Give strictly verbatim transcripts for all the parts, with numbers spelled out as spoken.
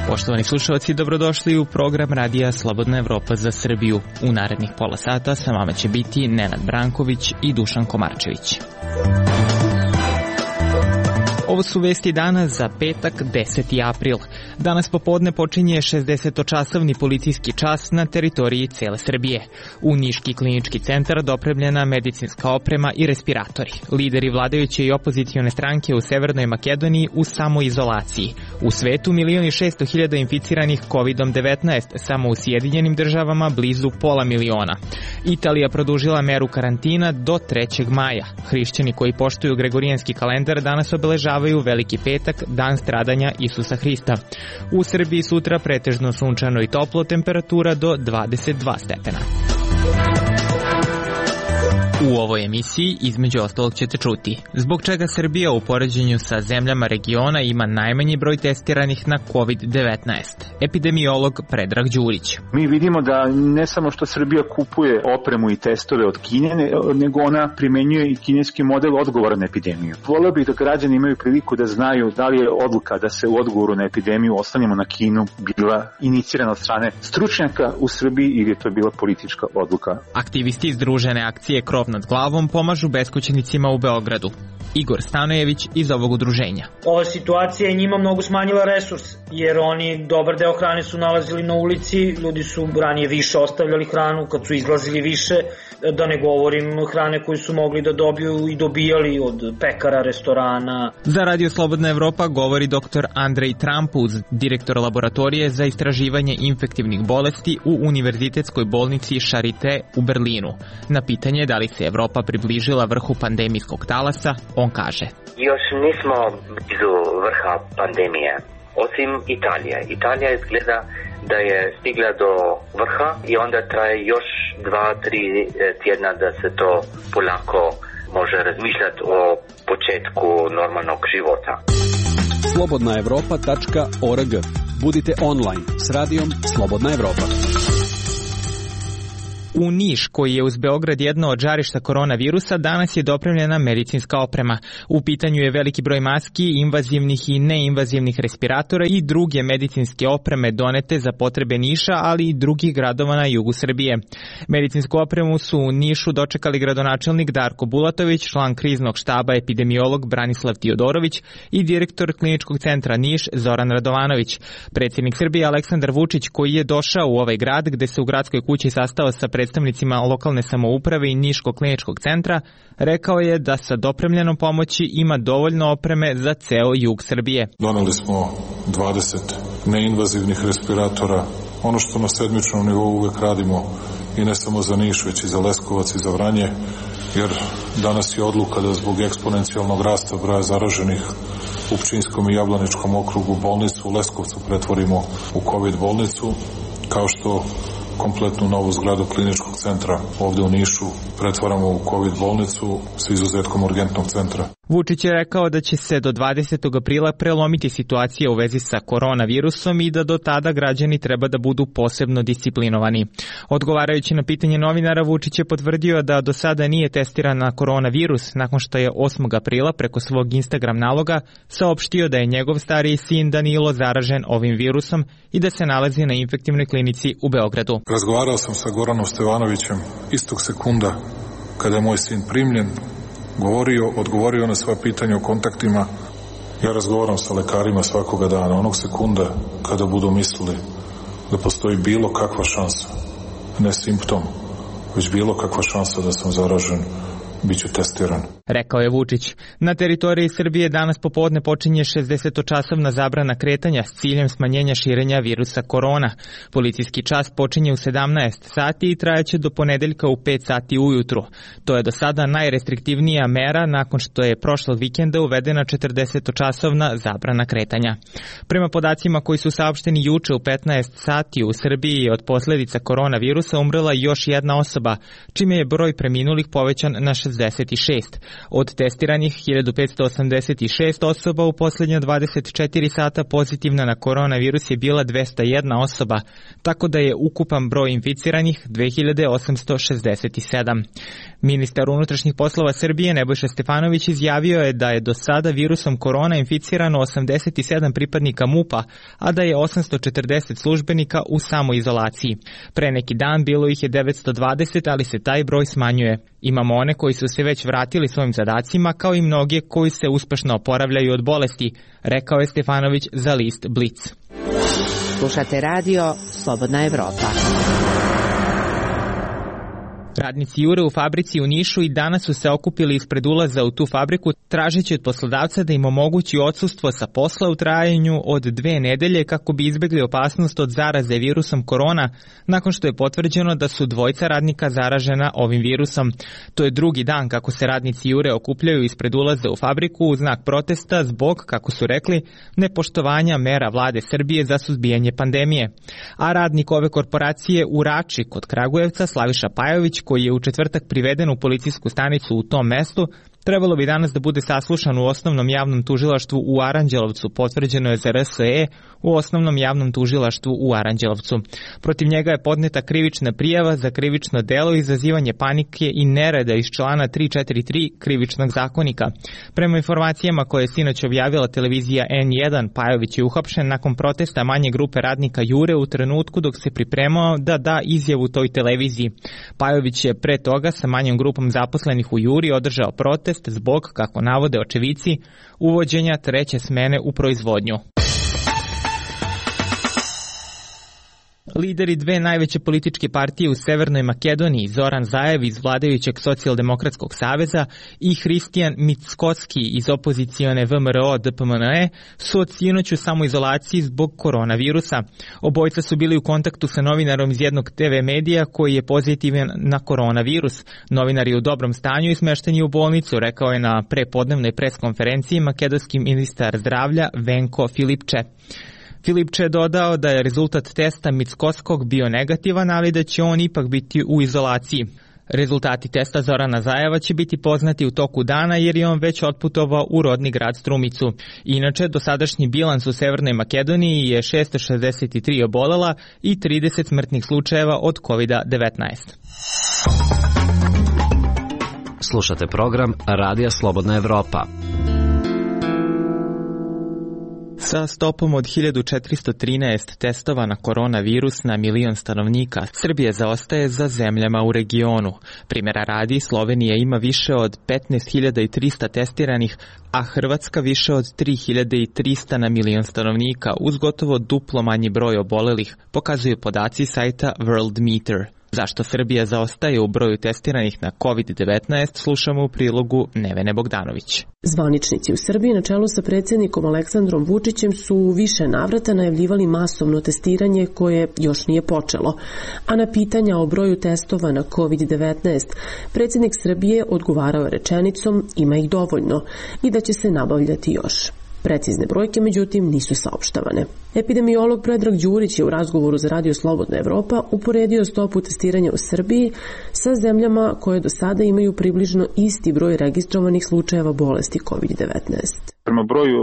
Poštovani slušalci, dobrodošli u program Radija Slobodna Evropa za Srbiju. U narednih pola sata sa vama će biti Nenad Branković i Dušan Komarčević. Ovo su vesti dana za petak, deseti april. Danas popodne počinje šezdesetčasovni policijski čas na teritoriji cele Srbije. U Niški klinički centar dopremljena medicinska oprema i respiratori. Lideri vladajuće i opozicione stranke u Severnoj Makedoniji u samoizolaciji. U svetu milion i šesto hiljada inficiranih kovidom devetnaest, samo u Sjedinjenim državama blizu pola miliona. Italija produžila meru karantina do trećeg maja. Hrišćani koji poštuju gregorijanski kalendar danas obeležavaju Veliki petak, dan stradanja Isusa Hrista. U Srbiji sutra pretežno sunčano i toplo, temperatura do dvadeset dva stepena. U ovoj emisiji između ostalog ćete čuti zbog čega Srbija u poređenju sa zemljama regiona ima najmanji broj testiranih na kovid devetnaest. Epidemiolog Predrag Đurić. Mi vidimo da ne samo što Srbija kupuje opremu i testove od Kine, nego ona primenjuje i kineski model odgovora na epidemiju. Voleo bih da građani imaju priliku da znaju da li je odluka da se u odgovoru na epidemiju oslanjamo na Kinu bila inicirana od strane stručnjaka u Srbiji ili je to bila politička odluka. Aktivisti Združene akcije Krov nad glavom pomažu beskućnicima u Beogradu. Igor Stanojević iz ovog udruženja. Ova situacija je njima mnogo smanjila resurs, jer oni dobar deo hrane su nalazili na ulici, ljudi su ranije više ostavljali hranu kad su izlazili više, da ne govorim hrane koju su mogli da dobiju i dobijali od pekara, restorana. Za Radio Slobodna Evropa govori doktor Andrej Trampuz, direktor laboratorije za istraživanje infektivnih bolesti u Univerzitetskoj bolnici Charité u Berlinu. Na pitanje da li se Evropa približila vrhu pandemijskog talasa, on kaže: Još nismo blizu vrha pandemije, osim Italije. Italija izgleda da je stigla do vrha i onda traje još dva, tri tjedna da se to polako može razmišljati o početku normalnog života. slobodna evropa tačka org. Budite online s radijom Slobodna Evropa. U Niš, koji je uz Beograd jedno od žarišta koronavirusa, danas je dopremljena medicinska oprema. U pitanju je veliki broj maski, invazivnih i neinvazivnih respiratora i druge medicinske opreme donete za potrebe Niša, ali i drugih gradova na jugu Srbije. Medicinsku opremu su u Nišu dočekali gradonačelnik Darko Bulatović, član kriznog štaba epidemiolog Branislav Tiodorović i direktor kliničkog centra Niš Zoran Radovanović. Predsjednik Srbije Aleksandar Vučić, koji je došao u ovaj grad gde se u gradskoj kući sastao sa predstavnicima lokalne samouprave i Niškog kliničkog centra, rekao je da sa dopremljenom pomoći ima dovoljno opreme za ceo jug Srbije. Doneli smo dvadeset neinvazivnih respiratora, ono što na sedmičnom nivou uvek radimo i ne samo za Niš, već i za Leskovac i za Vranje, jer danas je odluka da zbog eksponencijalnog rasta broja zaraženih u Pčinjskom i Jablaničkom okrugu bolnicu u Leskovcu pretvorimo u COVID bolnicu, kao što kompletnu novu zgradu kliničkog centra ovde u Nišu pretvaramo u COVID bolnicu sa izuzetkom urgentnog centra. Vučić je rekao da će se do dvadesetog aprila prelomiti situacija u vezi sa koronavirusom i da do tada građani treba da budu posebno disciplinovani. Odgovarajući na pitanje novinara, Vučić je potvrdio da do sada nije testiran na koronavirus nakon što je osmog aprila preko svog Instagram naloga saopštio da je njegov stariji sin Danilo zaražen ovim virusom i da se nalazi na infektivnoj klinici u Beogradu. Razgovarao sam sa Goranom Stevanovićem istog sekunda kada je moj sin primljen, govorio, odgovorio na sva pitanja o kontaktima. Ja razgovaram sa lekarima svakoga dana, onog sekunda kada budu mislili da postoji bilo kakva šansa, ne simptom, već bilo kakva šansa da sam zaražen, bit ću testiran. Rekao je Vučić. Na teritoriji Srbije danas popodne počinje šezdesetčasovna zabrana kretanja s ciljem smanjenja širenja virusa korona. Policijski čas počinje u sedamnaest sati i trajeće do ponedeljka u pet sati ujutru. To je do sada najrestriktivnija mera nakon što je prošlog vikenda uvedena četrdesetočasovna zabrana kretanja. Prema podacima koji su saopšteni juče u petnaest sati u Srbiji je od posledica koronavirusa umrela još jedna osoba, čime je broj preminulih povećan na šezdeset šest. Od testiranih hiljadu petsto osamdeset šest osoba u posljednja dvadeset četiri sata pozitivna na koronavirus je bila dvesta jedna osoba, tako da je ukupan broj inficiranih dve hiljade osamsto šezdeset sedam. Ministar unutrašnjih poslova Srbije Nebojša Stefanović izjavio je da je do sada virusom korona inficirano osamdeset sedam pripadnika MUP-a, a da je osamsto četrdeset službenika u samoizolaciji. Pre neki dan bilo ih je devetsto dvadeset, ali se taj broj smanjuje. Imamo one koji su se već vratili svojim zadacima, kao i mnoge koji se uspešno oporavljaju od bolesti, rekao je Stefanović za list Blic. Slušate radio Slobodna Evropa. Radnici Jure u fabrici u Nišu i danas su se okupili ispred ulaza u tu fabriku tražeći od poslodavca da im omogući odsustvo sa posla u trajanju od dve nedelje kako bi izbegli opasnost od zaraze virusom korona nakon što je potvrđeno da su dvojica radnika zaražena ovim virusom. To je drugi dan kako se radnici Jure okupljaju ispred ulaza u fabriku u znak protesta zbog, kako su rekli, nepoštovanja mera vlade Srbije za suzbijanje pandemije. A radnik ove korporacije u Rači kod Kragujevca, Slaviša Pajović, koji je u četvrtak priveden u policijsku stanicu u tom mestu, trebalo bi danas da bude saslušan u osnovnom javnom tužilaštvu u Aranđelovcu, potvrđeno je za R S E u osnovnom javnom tužilaštvu u Aranđelovcu. Protiv njega je podneta krivična prijava za krivično delo izazivanje panike i nereda iz člana tri četiri tri krivičnog zakonika. Prema informacijama koje je sinoć objavila televizija N jedan, Pajović je uhapšen nakon protesta manje grupe radnika Jure u trenutku dok se pripremao da da izjavu toj televiziji. Pajović je pre toga sa manjom grupom zaposlenih u Juri održao protest zbog, kako navode očevici, uvođenja treće smene u proizvodnju. Lideri dve najveće političke partije u Severnoj Makedoniji, Zoran Zaev iz vladajućeg Socijaldemokratskog saveza i Hristijan Mickoski iz opozicione V M R O D P M N E, su od sinoć u samoizolaciji zbog koronavirusa. Obojica su bili u kontaktu sa novinarom iz jednog T V medija koji je pozitivan na koronavirus. Novinar je u dobrom stanju i smešten je u bolnicu, rekao je na prepodnevnoj preskonferenciji makedonski ministar zdravlja Venko Filipče. Filipče je dodao da je rezultat testa Mickoskog bio negativan, ali da će on ipak biti u izolaciji. Rezultati testa Zorana Zajeva će biti poznati u toku dana jer je on već otputovao u rodni grad Strumicu. Inače, dosadašnji bilans u Severnoj Makedoniji je šesto šezdeset tri obolela i trideset smrtnih slučajeva od kovid devetnaest. Slušate program Radija Slobodna Evropa. Sa stopom od hiljadu četiristo trinaest testova na koronavirus na milion stanovnika, Srbija zaostaje za zemljama u regionu. Primjera radi, Slovenija ima više od petnaest hiljada trista testiranih, a Hrvatska više od tri hiljade trista na milion stanovnika, uz gotovo duplo manji broj obolelih, pokazuju podaci sajta Worldmeter. Zašto Srbija zaostaje u broju testiranih na kovid devetnaest, slušamo u prilogu Nevene Bogdanović. Zvaničnici u Srbiji na čelu sa predsjednikom Aleksandrom Vučićem su u više navrata najavljivali masovno testiranje koje još nije počelo. A na pitanja o broju testova na kovid devetnaest, predsjednik Srbije odgovarao rečenicom ima ih dovoljno i da će se nabavljati još. Precizne brojke, međutim, nisu saopštavane. Epidemiolog Predrag Đurić je u razgovoru za Radio Slobodna Evropa uporedio stopu testiranja u Srbiji sa zemljama koje do sada imaju približno isti broj registrovanih slučajeva bolesti kovid devetnaest. Prema broju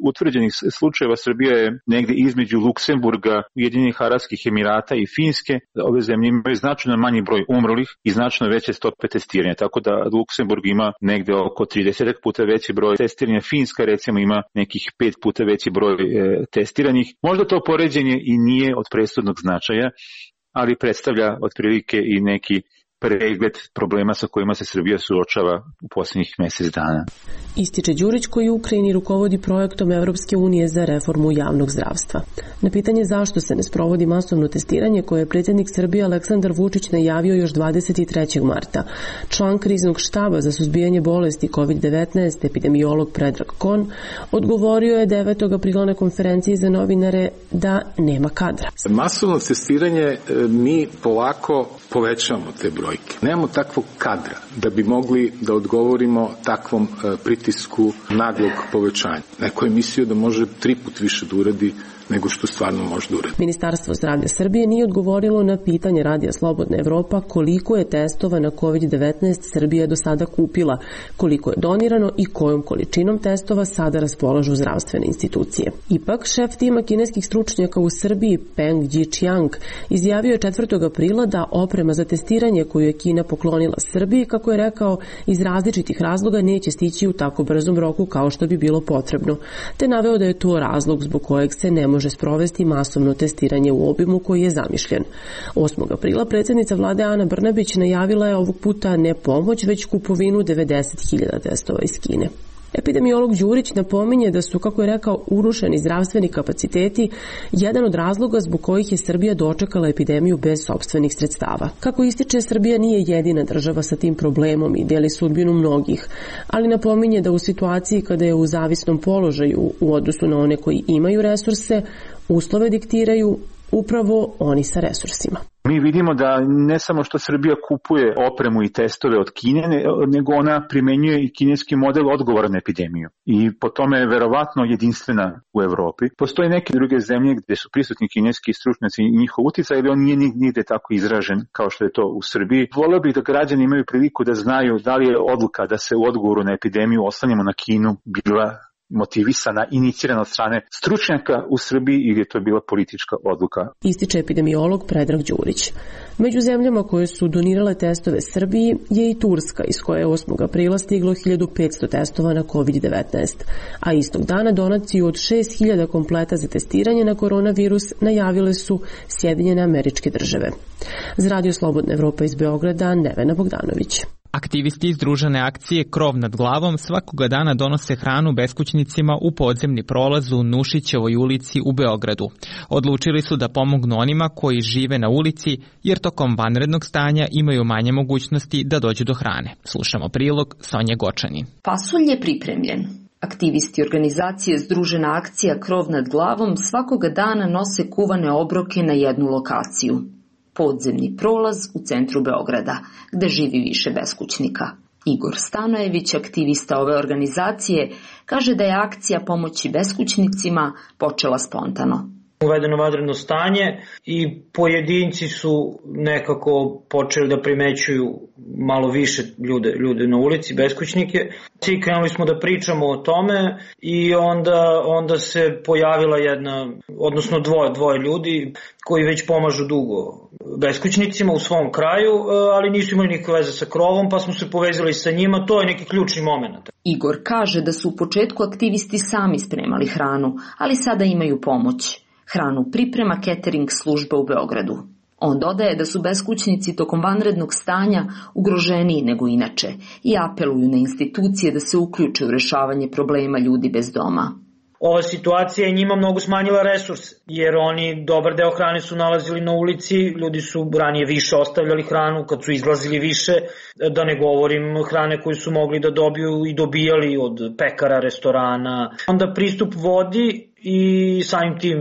utvrđenih slučajeva Srbija je negde između Luksemburga, Ujedinjenih Arapskih Emirata i Finske. Ove zemlje imaju značajno manji broj umrlih i značajno veće stope testiranja, tako da Luksemburg ima negde oko trideset puta veći broj testiranja. Finska recimo ima nekih pet puta veći broj e, testiranih. Možda to poređenje i nije od presudnog značaja, ali predstavlja otprilike i neki pregled problema sa kojima se Srbija suočava u posljednjih mjesec dana. Ističe Đurić koji u Ukrajini rukovodi projektom Evropske unije za reformu javnog zdravstva. Na pitanje zašto se ne sprovodi masovno testiranje koje je predsjednik Srbije Aleksandar Vučić najavio još dvadeset trećeg marta, član kriznog štaba za suzbijanje bolesti kovid devetnaest, epidemiolog Predrag Kon, odgovorio je devetog aprila na konferenciji za novinare da nema kadra. Masovno testiranje mi polako povećamo te brojke. Nemamo takvog kadra da bi mogli da odgovorimo takvom pritisku naglog povećanja. Neko je mislio da može tri put više da uradi nego što stvarno može da uradi. Ministarstvo zdravlja Srbije nije odgovorilo na pitanje Radija Slobodna Evropa koliko je testova na kovid devetnaest Srbija do sada kupila, koliko je donirano i kojom količinom testova sada raspolažu zdravstvene institucije. Ipak, šef tima kineskih stručnjaka u Srbiji Peng Jiqiang izjavio je četvrtog aprila da oprema za testiranje koju je Kina poklonila Srbiji, kako je rekao, iz različitih razloga neće stići u tako brzom roku kao što bi bilo potrebno, te naveo da je to razlog zbog kojeg se ne može sprovesti masovno testiranje u obimu koji je zamišljen. osmog aprila predsjednica vlade Ana Brnabić najavila je ovog puta ne pomoć, već kupovinu devedeset hiljada testova iz Kine. Epidemiolog Đurić napominje da su, kako je rekao, urušeni zdravstveni kapaciteti jedan od razloga zbog kojih je Srbija dočekala epidemiju bez sopstvenih sredstava. Kako ističe, Srbija nije jedina država sa tim problemom i deli sudbinu mnogih, ali napominje da u situaciji kada je u zavisnom položaju u odnosu na one koji imaju resurse, uslove diktiraju upravo oni sa resursima. Mi vidimo da ne samo što Srbija kupuje opremu i testove od Kine, nego ona primenjuje i kineski model odgovora na epidemiju. I po tome je verovatno jedinstvena u Evropi. Postoje neke druge zemlje gde su prisutni kineski stručnjaci i njihov uticaj, ali on nije nigde tako izražen kao što je to u Srbiji. Voleo bih da građani imaju priliku da znaju da li je odluka da se u odgovoru na epidemiju oslanjamo na Kinu bila motivisana, inicirana od strane stručnjaka u Srbiji ili je to bila politička odluka. Ističe epidemiolog Predrag Đurić. Među zemljama koje su donirale testove Srbiji je i Turska, iz koje je osmog aprila stiglo hiljadu petsto testova na kovid devetnaest, a istog dana donaciju od šest hiljada kompleta za testiranje na koronavirus najavile su Sjedinjene Američke Države. Za Radio Slobodna Evropa iz Beograda, Nevena Bogdanović. Aktivisti iz združene akcije Krov nad glavom svakoga dana donose hranu beskućnicima u podzemni prolaz u Nušićevoj ulici u Beogradu. Odlučili su da pomognu onima koji žive na ulici, jer tokom vanrednog stanja imaju manje mogućnosti da dođu do hrane. Slušamo prilog Sonje Gočanin. Pasulj je pripremljen. Aktivisti organizacije Združena akcija Krov nad glavom svakoga dana nose kuvane obroke na jednu lokaciju. Podzemni prolaz u centru Beograda, gde živi više beskućnika. Igor Stanojević, aktivista ove organizacije, kaže da je akcija pomoći beskućnicima počela spontano. Uvedeno vanredno stanje i pojedinci su nekako počeli da primećuju malo više ljude, ljude na ulici, beskućnike. I krenuli smo da pričamo o tome i onda, onda se pojavila jedna, odnosno dvoje, dvoje ljudi koji već pomažu dugo beskućnicima u svom kraju, ali nisu imali nikakve veze sa Krovom, pa smo se povezali sa njima. To je neki ključni moment. Igor kaže da su u početku aktivisti sami spremali hranu, ali sada imaju pomoć. Hranu priprema catering služba u Beogradu. On dodaje da su beskućnici tokom vanrednog stanja ugroženiji nego inače i apeluju na institucije da se uključe u rešavanje problema ljudi bez doma. Ova situacija je njima mnogo smanjila resurs, jer oni dobar deo hrane su nalazili na ulici, ljudi su ranije više ostavljali hranu kad su izlazili više, da ne govorim hrane koju su mogli da dobiju i dobijali od pekara, restorana. Onda pristup vodi i samim tim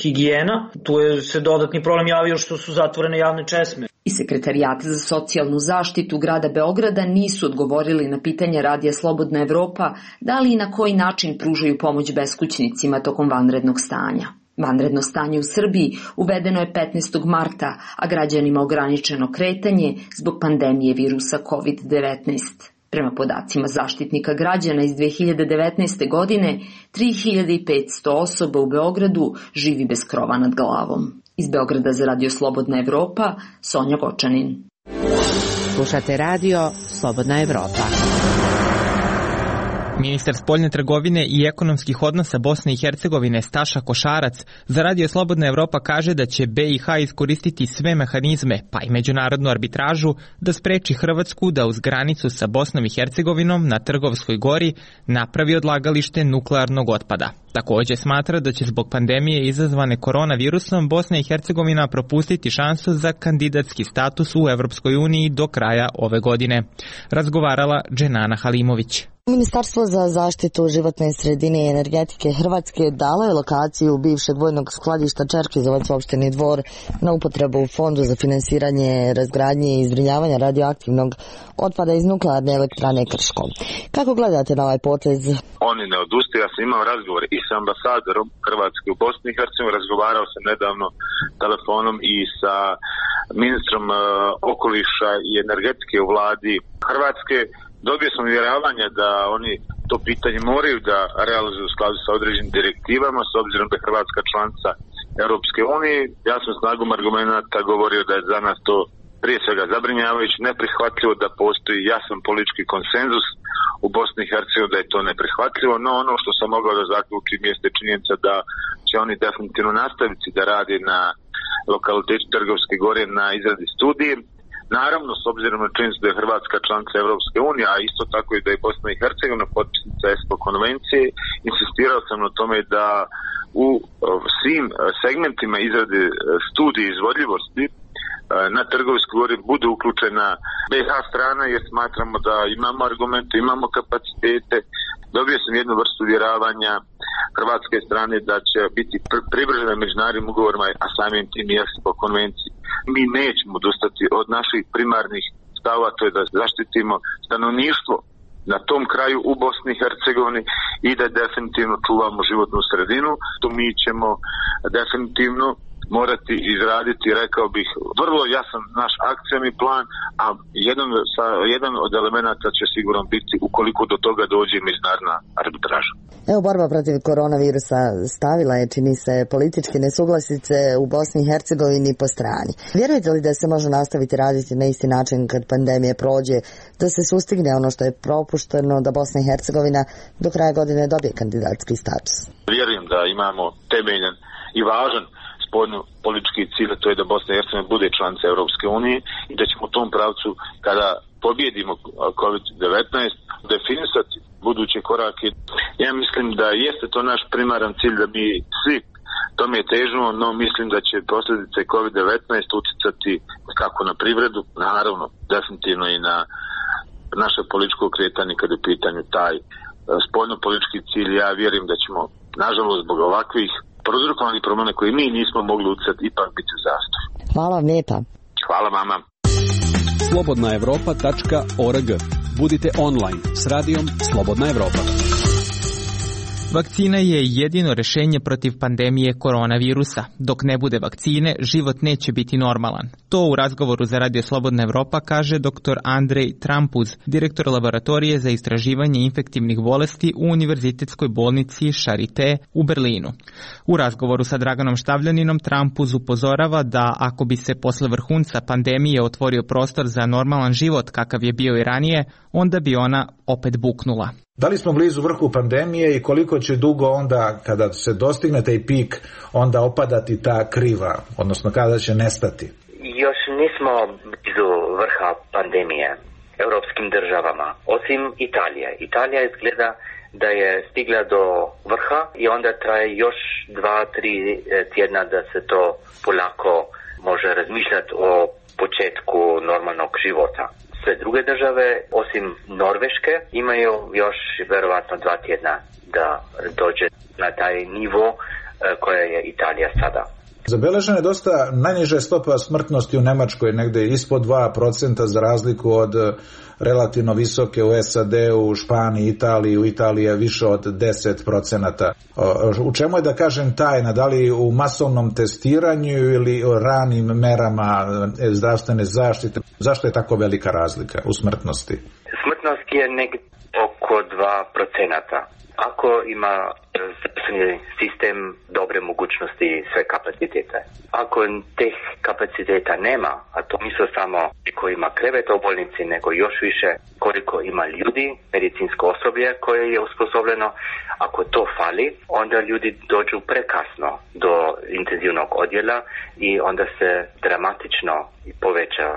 higijena, tu je se dodatni problem javio što su zatvorene javne česme. I sekretarijati za socijalnu zaštitu grada Beograda nisu odgovorili na pitanje Radija Slobodna Evropa da li i na koji način pružaju pomoć beskućnicima tokom vanrednog stanja. Vanredno stanje u Srbiji uvedeno je petnaestog marta, a građanima ograničeno kretanje zbog pandemije virusa kovid devetnaest. Prema podacima Zaštitnika građana iz dve hiljade devetnaeste. godine, tri hiljade petsto osoba u Beogradu živi bez krova nad glavom. Iz Beograda za Radio Slobodna Evropa, Sonja Gočanin. Slušate Radio Slobodna Evropa. Ministar spoljne trgovine i ekonomskih odnosa Bosne i Hercegovine Staša Košarac za Radio Slobodna Evropa kaže da će be i ha iskoristiti sve mehanizme, pa i međunarodnu arbitražu, da spreči Hrvatsku da uz granicu sa Bosnom i Hercegovinom na Trgovskoj gori napravi odlagalište nuklearnog otpada. Takođe smatra da će zbog pandemije izazvane koronavirusom Bosna i Hercegovina propustiti šansu za kandidatski status u Evropskoj uniji do kraja ove godine. Razgovarala Dženana Halimović. Ministarstvo za zaštitu životne sredine i energetike Hrvatske dalo je lokaciju bivšeg vojnog skladišta Čerkezovac u opštini Dvor na upotrebu u Fondu za finansiranje razgradnje i zbrinjavanja radioaktivnog otpada iz nuklearne elektrane Krško. Kako gledate na ovaj potez? Oni ne odustaju, ja sam imao razgovor i sa ambasadorom Hrvatske u Bosni i Hercegovini, razgovarao sam nedavno telefonom i sa ministrom uh, okoliša i energetike u vladi Hrvatske. Dobio sam uvjeravanje da oni to pitanje moraju da realizuju u skladu sa određenim direktivama, s obzirom da je Hrvatska članica Europske unije. Ja sam snagom argumenta govorio da je za nas to prije svega zabrinjavajući, neprihvatljivo, da postoji jasan politički konsenzus u Bosni i Hercegovini da je to neprihvatljivo, no ono što sam mogao da zaključim jeste činjenica da će oni definitivno nastaviti da radi na lokalitetu Trgovske gore na izradi studije. Naravno, s obzirom na činjenicu da je Hrvatska članica Evropske unije, a isto tako i da je Bosna i Hercegovina potpisnica ESPO konvencije, insistirao sam na tome da u svim segmentima izrade studije izvodljivosti na Trgovskoj gori bude uključena be ha strana, jer smatramo da imamo argumente, imamo kapacitete. Dobio sam jednu vrstu uvjeravanja hrvatske strane da će biti privržena međunarodnim ugovorima, a samim tim i ESPO konvenciji. Mi nećemo odustati od naših primarnih stava, to je da zaštitimo stanovništvo na tom kraju u Bosni i Hercegovini i da definitivno čuvamo životnu sredinu. To mi ćemo definitivno morati izraditi, rekao bih, vrlo jasan naš akcioni plan, a jedan, sa, jedan od elemenata će sigurno biti ukoliko do toga dođe međunarodna arbitraža. Evo, borba protiv koronavirusa stavila je, čini se, političke nesuglasice u Bosni i Hercegovini po strani. Vjerujete li da se može nastaviti raditi na isti način kad pandemija prođe, da se sustigne ono što je propušteno, da Bosna i Hercegovina do kraja godine dobije kandidatski status? Vjerujem da imamo temeljan i važan politički cilj, to je da Bosna i Hercegovina bude članica Europske unije i da ćemo u tom pravcu, kada pobjedimo kovid devetnaest, definisati buduće korake. Ja mislim da jeste to naš primaran cilj, da mi svi tome težimo, no mislim da će posljedice kovid devetnaest uticati kako na privredu, naravno, definitivno i na naše političko kretanje kada je u pitanju taj spoljno-politički cilj. Ja vjerujem da ćemo, nažalost, zbog ovakvih prouzrokovani promjene koje mi nismo mogli uticati, ipak biti u zastoju. Hvala vam lijepa. Hvala vama. slobodna evropa tačka org. Budite online s radijom Slobodna Evropa. Vakcina je jedino rešenje protiv pandemije koronavirusa. Dok ne bude vakcine, život neće biti normalan. To u razgovoru za Radio Slobodna Evropa kaže dr. Andrej Trampuz, direktor laboratorije za istraživanje infektivnih bolesti u Univerzitetskoj bolnici Charité u Berlinu. U razgovoru sa Draganom Štavljaninom Trampuz upozorava da ako bi se posle vrhunca pandemije otvorio prostor za normalan život kakav je bio i ranije, onda bi ona opet buknula. Da li smo blizu vrhu pandemije i koliko će dugo onda, kada se dostigne taj pik, onda opadati ta kriva, odnosno kada će nestati? Još nismo blizu vrha pandemije europskim državama, osim Italije. Italija izgleda da je stigla do vrha i onda traje još dva, tri tjedna da se to polako može razmišljati o početku normalnog života. Sve druge države, osim Norveške, imaju još verovatno dva tjedna da dođe na taj nivo koja je Italija sada. Zabeležena je dosta najniža stopa smrtnosti u Nemačkoj, negde ispod dva procenta za razliku od relativno visoke u es a de, u Španiji, Italiji, u Italiji je više od deset procenata. U čemu je, da kažem, tajna? Da li u masovnom testiranju ili o ranim merama zdravstvene zaštite? Zašto je tako velika razlika u smrtnosti? Smrtnost je negdje oko dva procenta. Ako ima zdravstveni sistem dobre mogućnosti i sve kapacitete. Ako teh kapaciteta nema, a to nisu samo koliko ima kreveta u bolnici, nego još više koliko ima ljudi, medicinsko osoblje koje je usposobljeno, ako to fali, onda ljudi dođu prekasno do intenzivnog odjela i onda se dramatično poveća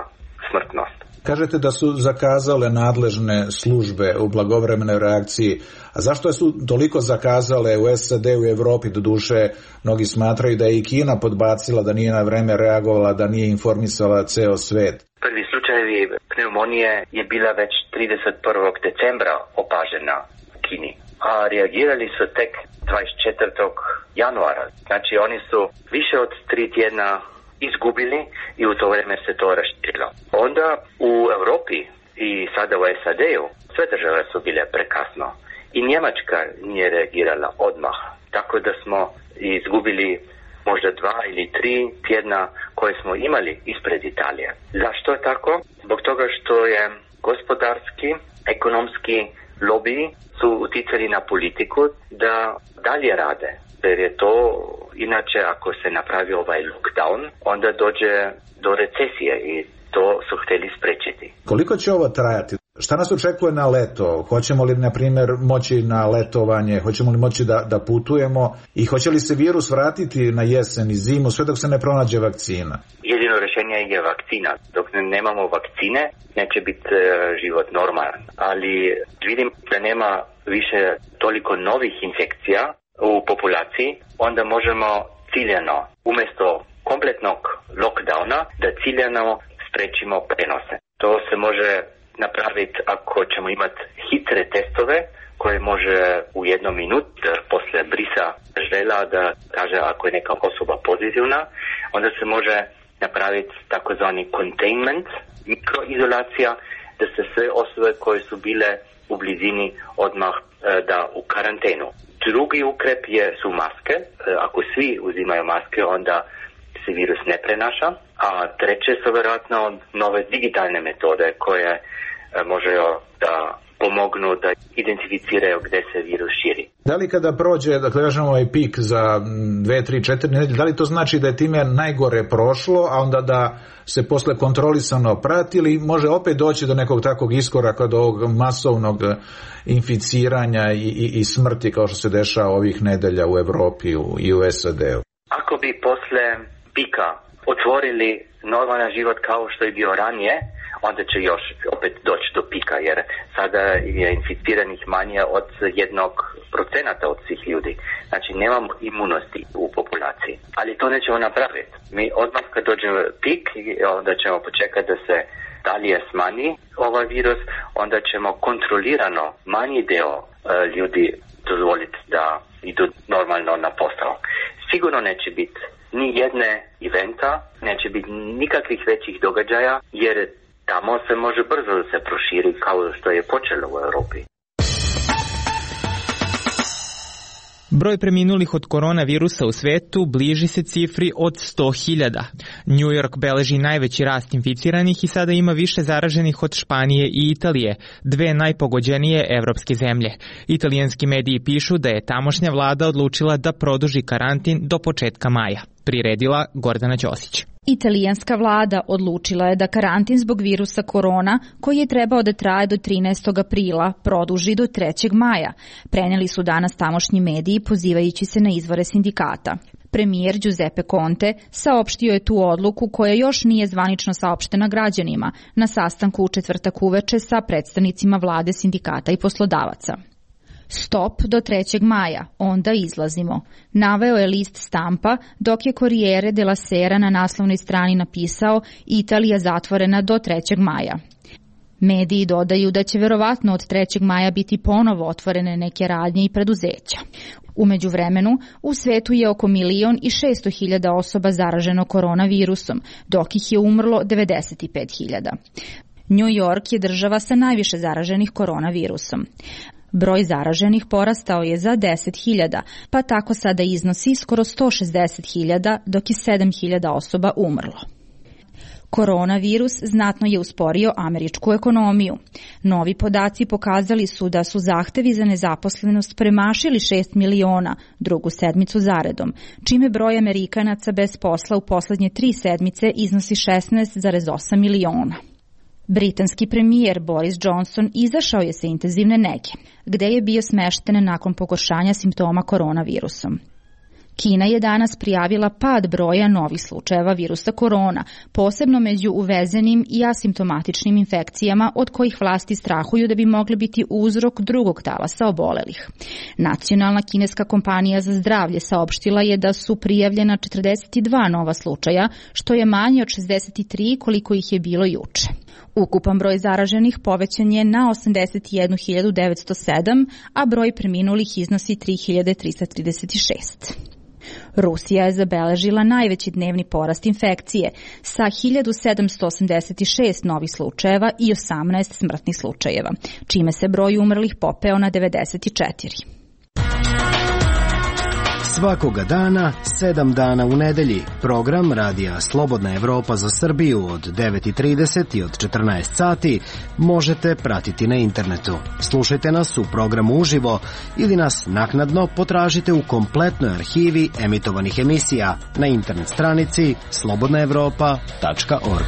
smrtnost. Kažete da su zakazale nadležne službe u blagovremenoj reakciji. A zašto su toliko zakazale u es a de, u Evropi? Doduše, mnogi smatraju da je i Kina podbacila, da nije na vreme reagovala, da nije informisala ceo svet. Prvi slučajevi pneumonije je bila već trideset prvog decembra opažena u Kini, a reagirali su tek dvadeset četvrtog januara. Znači oni su više od tri tjedna izgubili i u to vrijeme se to raširilo. Onda u Europi i sada u es a de-u sve države su bile prekasno i Njemačka nije reagirala odmah. tako da smo izgubili možda dva ili tri tjedna koje smo imali ispred Italije. Zašto je tako? Zbog toga što je gospodarski, ekonomski lobiji su uticali na politiku da dalje rade. Jer je to, inače ako se napravi ovaj lockdown, onda dođe do recesije i to su htjeli spriječiti. Koliko će ovo trajati? Šta nas očekuje na leto? Hoćemo li, na primjer, moći na letovanje? Hoćemo li moći da, da putujemo? I hoće li se virus vratiti na jesen i zimu sve dok se ne pronađe vakcina? Jedino rješenje je vakcina. Dok nemamo vakcine, neće biti život normalan. Ali vidim da nema više toliko novih infekcija u populaciji, onda možemo ciljano, umjesto kompletnog lockdowna, da ciljano sprečimo prenose. To se može napraviti ako ćemo imati hitre testove koje može u jednom minut posle brisa žela da kaže ako je neka osoba pozitivna, onda se može napraviti takozvani containment, mikroizolacija, da se sve osobe koje su bile u blizini odmah da u karantenu. Drugi ukrep je, su maske. Ako svi uzimaju maske, onda se virus ne prenaša. A treće su vjerojatno nove digitalne metode koje može da pomognu da identificiraju gdje se virus širi. Da li kada prođe, dakle, kažemo ovaj pik za dve, tri, četiri nedelje, da li to znači da je time najgore prošlo, a onda da se posle kontrolisano prati, ili može opet doći do nekog takvog iskoraka, do ovog masovnog inficiranja i, i, i smrti kao što se dešava ovih nedelja u Evropi u, i u S A D-u? Ako bi posle pika otvorili normalan život kao što je bio ranije, onda će još opet doći do pika, jer sada je inficiranih manje od jednog procenata od svih ljudi. Znači nemamo imunosti u populaciji. Ali to nećemo napraviti. Mi odmah kad dođe pik, onda ćemo počekati da se dalje smanji ovaj virus, onda ćemo kontrolirano manji deo uh, ljudi dozvoliti da idu normalno na posao. Sigurno neće biti ni jedne eventa, neće biti nikakvih većih događaja, jer tamo se može brzo da se proširi kao što je počelo u Europi. Broj preminulih od koronavirusa u svetu bliži se cifri od sto hiljada. New York beleži najveći rast inficiranih i sada ima više zaraženih od Španije i Italije, dve najpogođenije evropske zemlje. Italijanski mediji pišu da je tamošnja vlada odlučila da produži karantin do početka maja. Priredila Gordana Ćosić. Italijanska vlada odlučila je da karantin zbog virusa korona, koji je trebao da traje do trinaestog aprila, produži do trećeg maja. Preneli su danas tamošnji mediji pozivajući se na izvore sindikata. Premijer Giuseppe Conte saopštio je tu odluku koja još nije zvanično saopštena građanima na sastanku u četvrtak uveče sa predstavnicima vlade, sindikata i poslodavaca. Stop do trećeg maja, onda izlazimo, naveo je list Stampa, dok je Corriere della Sera na naslovnoj strani napisao Italija zatvorena do trećeg maja. Mediji dodaju da će verovatno od trećeg maja biti ponovo otvorene neke radnje i preduzeća. U međuvremenu, u svetu je oko milion i šesto hiljada osoba zaraženo koronavirusom, dok ih je umrlo devedeset pet hiljada. New York je država sa najviše zaraženih koronavirusom. Broj zaraženih porastao je za deset hiljada, pa tako sada iznosi skoro sto šezdeset hiljada, dok je sedam hiljada osoba umrlo. Koronavirus znatno je usporio američku ekonomiju. Novi podaci pokazali su da su zahtevi za nezaposlenost premašili šest miliona drugu sedmicu zaredom, čime broj Amerikanaca bez posla u poslednje tri sedmice iznosi šesnaest zarez osam miliona. Britanski premijer Boris Johnson izašao je sa intenzivne nege, gde je bio smešten nakon pogoršanja simptoma koronavirusom. Kina je danas prijavila pad broja novih slučajeva virusa korona, posebno među uvezenim i asimptomatičnim infekcijama od kojih vlasti strahuju da bi mogli biti uzrok drugog talasa obolelih. Nacionalna kineska kompanija za zdravlje saopštila je da su prijavljena četrdeset dva nova slučaja, što je manje od šezdeset tri koliko ih je bilo juče. Ukupan broj zaraženih povećan je na osamdeset jednu hiljadu devetsto sedam, a broj preminulih iznosi tri hiljade trista trideset šest. Rusija je zabeležila najveći dnevni porast infekcije sa hiljadu sedamsto osamdeset šest novih slučajeva i osamnaest smrtnih slučajeva, čime se broj umrlih popeo na devedeset četiri. Svakoga dana, sedam dana u nedelji. Program Radija Slobodna Evropa za Srbiju od devet i trideset i od četrnaest sati možete pratiti na internetu. Slušajte nas u programu uživo ili nas naknadno potražite u kompletnoj arhivi emitovanih emisija na internet stranici slobodna evropa tačka org.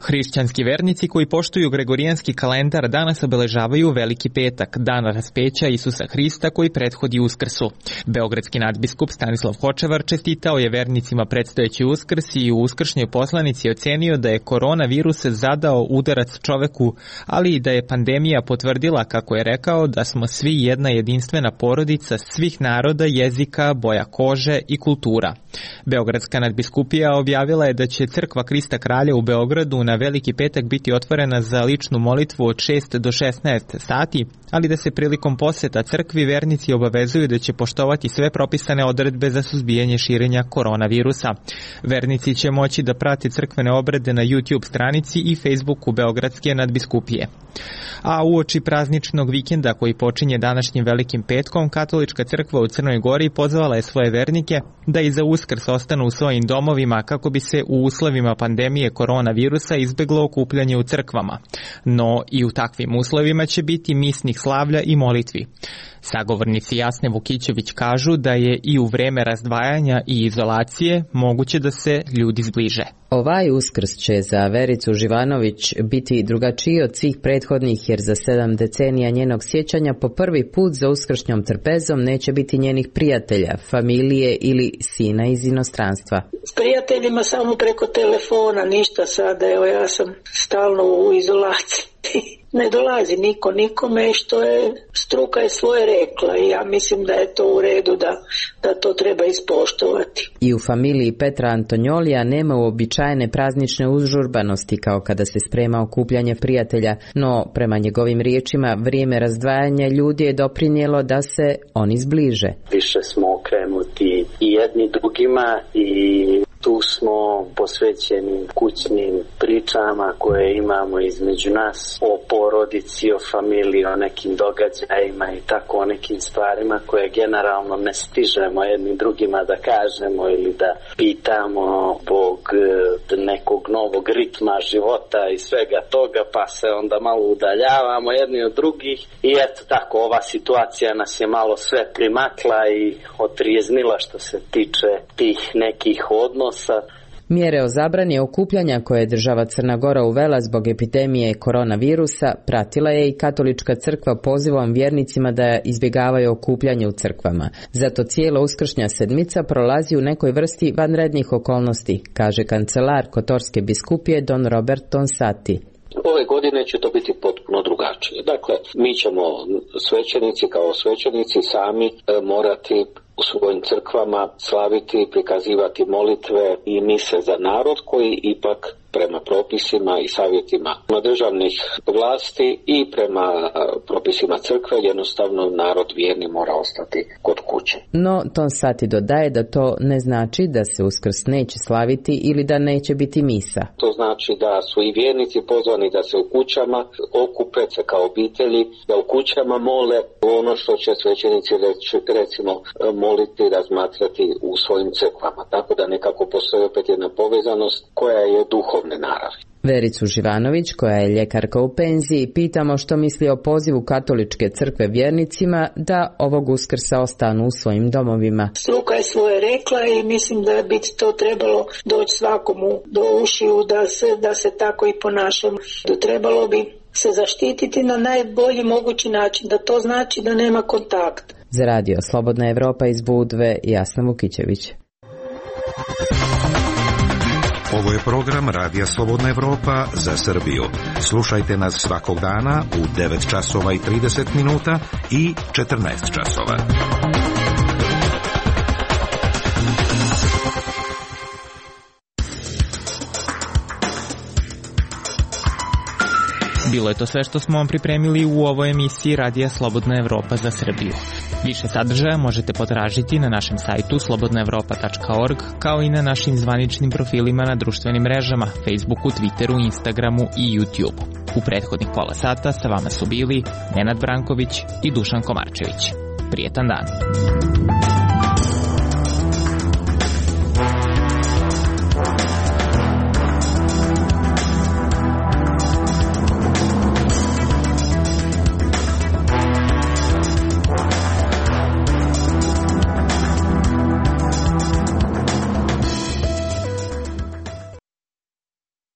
Hrišćanski vernici koji poštuju gregorijanski kalendar danas obeležavaju Veliki petak, dan raspeća Isusa Hrista koji prethodi Uskrsu. Beogradski nadbiskup Stanislav Hočevar čestitao je vernicima predstojeći Uskrs i u uskršnjoj poslanici ocenio da je koronavirus zadao udarac čoveku, ali i da je pandemija potvrdila, kako je rekao, da smo svi jedna jedinstvena porodica svih naroda, jezika, boja kože i kultura. Beogradska nadbiskupija objavila je da će crkva Krista Kralja u Beogradu na Veliki petak biti otvorena za ličnu molitvu od šest do šesnaest sati, ali da se prilikom poseta crkvi vernici obavezuju da će poštovati sve propisane odredbe za suzbijanje širenja koronavirusa. Vernici će moći da prate crkvene obrede na YouTube stranici i Facebooku Beogradske nadbiskupije. A uoči prazničnog vikenda koji počinje današnjim Velikim petkom, Katolička crkva u Crnoj Gori pozvala je svoje vernike da i za Uskrs ostanu u svojim domovima kako bi se u uslovima pandemije koronavirusa izbeglo okupljanje u crkvama. No i u takvim uslovima će biti misnih slavlja i molitvi. Sagovornici Jasne Vukićević kažu da je i u vreme razdvajanja i izolacije moguće da se ljudi zbliže. Ovaj Uskrs će za Vericu Živanović biti drugačiji od svih prethodnih, jer za sedam decenija njenog sjećanja po prvi put za uskršnjom trpezom neće biti njenih prijatelja, familije ili sina iz inostranstva. S prijateljima samo preko telefona, ništa sada, evo ja sam stalno u izolaciji. Ne dolazi niko nikome, što je struka je svoje rekla i ja mislim da je to u redu, da, da to treba ispoštovati. I u familiji Petra Antonjolija nema uobičajene praznične užurbanosti kao kada se sprema okupljanje prijatelja, no prema njegovim riječima vrijeme razdvajanja ljudi je doprinijelo da se oni zbliže. Više smo okrenuti i jedni drugima i tu smo posvećeni kućnim pričama koje imamo između nas o porodici, o familiji, o nekim događajima i tako o nekim stvarima koje generalno ne stižemo jednim drugima da kažemo ili da pitamo zbog nekog novog ritma života i svega toga, pa se onda malo udaljavamo jedni od drugih i eto tako ova situacija nas je malo sve primakla i otrijeznila što se tiče tih nekih odnosa. Mjere o zabrani okupljanja koje je država Crna Gora uvela zbog epidemije koronavirusa pratila je i Katolička crkva pozivom vjernicima da izbjegavaju okupljanje u crkvama. Zato cijela uskršnja sedmica prolazi u nekoj vrsti vanrednih okolnosti, kaže kancelar Kotorske biskupije don Robert Tonsati. Ove godine će to biti potpuno drugačije. Dakle, mi ćemo svećenici kao svećenici sami e, morati u svojim crkvama slaviti, prikazivati molitve i mise za narod koji ipak prema propisima i savjetima državnih vlasti i prema propisima crkve jednostavno narod vjerni mora ostati kod kuće. No, Tonsati dodaje da to ne znači da se Uskrs neće slaviti ili da neće biti misa. To znači da su i vjernici pozvani da se u kućama okupe se kao obitelji, da u kućama mole ono što će svećenici recimo moliti, razmatrati u svojim crkvama. Tako da nekako postoji opet jedna povezanost koja je duhovne naravi. Vericu Živanović, koja je ljekarka u penziji, pitamo što misli o pozivu Katoličke crkve vjernicima da ovog Uskrsa ostanu u svojim domovima. Struka je svoje rekla i mislim da bi to trebalo doći svakomu do ušiju da se, da se tako i ponašamo. Trebalo bi se zaštititi na najbolji mogući način, da to znači da nema kontakta. Za radio Slobodna Evropa iz Budve, Jasna Vukićević. Ovo je program Radija Slobodna Evropa za Srbiju. Slušajte nas svakog dana u devet časova i trideset minuta i četrnaest časova. Bilo je to sve što smo vam pripremili u ovoj emisiji Radija Slobodna Evropa za Srbiju. Više sadržaja možete potražiti na našem sajtu slobodna evropa tačka org, kao i na našim zvaničnim profilima na društvenim mrežama, Facebooku, Twitteru, Instagramu i YouTubeu. U prethodnih pola sata sa vama su bili Nenad Branković i Dušan Komarčević. Prijetan dan.